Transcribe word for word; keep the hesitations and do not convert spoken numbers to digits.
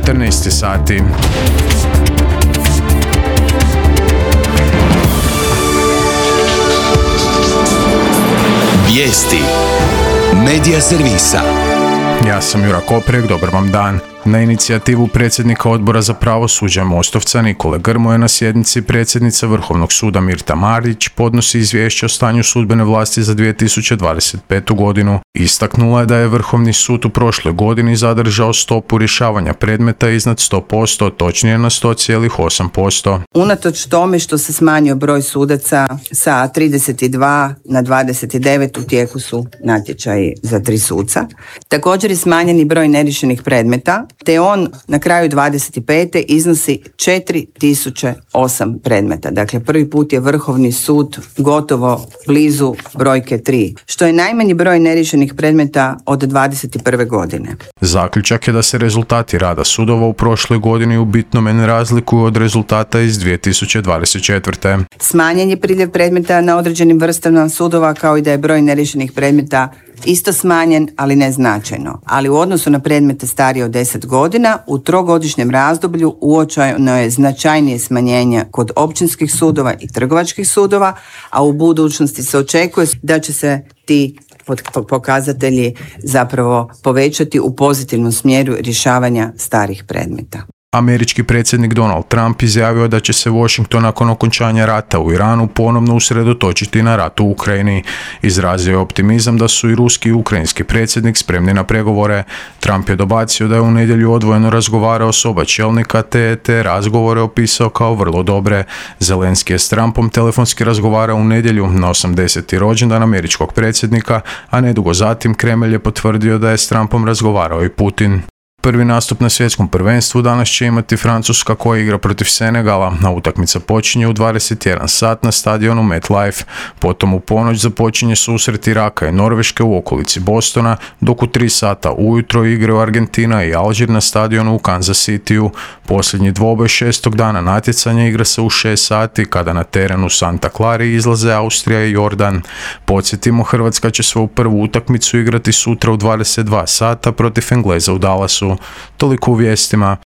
četrnaest sati. Vijesti Medija servisa. Ja sam Jura Koprek, dobar vam dan. Na inicijativu predsjednika Odbora za pravosuđe Mostovca Nikole Grmoje na sjednici predsjednica Vrhovnog suda Mirta Marić podnosi izvješće o stanju sudbene vlasti za dvije tisuće dvadeset petu. godinu. Istaknula je da je Vrhovni sud u prošloj godini zadržao stopu rješavanja predmeta iznad sto posto, točnije na sto zarez osam posto. Unatoč tome što se smanjio broj sudaca sa trideset dva na dvadeset devet, u tijeku su natječaji za tri suca. Također je smanjeni broj neriješenih predmeta, te on na kraju dvadeset pete iznosi četiri tisuće osam predmeta. Dakle, prvi put je Vrhovni sud gotovo blizu brojke tri, što je najmanji broj neriješenih predmeta od dvadeset prve. godine. Zaključak je da se rezultati rada sudova u prošloj godini u bitnome ne razlikuju od rezultata iz dvije tisuće dvadeset četvrte. Smanjen je priljev predmeta na određenim vrstama sudova, kao i da je broj neriješenih predmeta isto smanjen, ali ne značajno. Ali u odnosu na predmete starije od deset godina, u trogodišnjem razdoblju uočeno je značajnije smanjenje kod općinskih sudova i trgovačkih sudova, a u budućnosti se očekuje da će se ti pokazatelji zapravo povećati u pozitivnom smjeru rješavanja starih predmeta. Američki predsjednik Donald Trump izjavio da će se Washington nakon okončanja rata u Iranu ponovno usredotočiti na rat u Ukrajini. Izrazio je optimizam da su i ruski i ukrajinski predsjednik spremni na pregovore. Trump je dobacio da je u nedjelju odvojeno razgovarao s oba čelnika te te razgovore opisao kao vrlo dobre. Zelenski je s Trumpom telefonski razgovarao u nedjelju na osamdeseti rođendan američkog predsjednika, a nedugo zatim Kremlj je potvrdio da je s Trumpom razgovarao i Putin. Prvi nastup na svjetskom prvenstvu danas će imati Francuska koja igra protiv Senegala, a utakmica počinje u dvadeset jedan sat na stadionu MetLife. Potom u ponoć započinje susret Iraka i Norveške u okolici Bostona, dok u tri sata ujutro igraju Argentina i Alžir na stadionu u Kansas Cityu. Posljednji dvoboj šestog dana natjecanja igra se u šest sati kada na terenu Santa Clari izlaze Austrija i Jordan. Podsjetimo, Hrvatska će svoju prvu utakmicu igrati sutra u dvadeset dva sata protiv Engleza u Dallasu. Toliko u vijestima.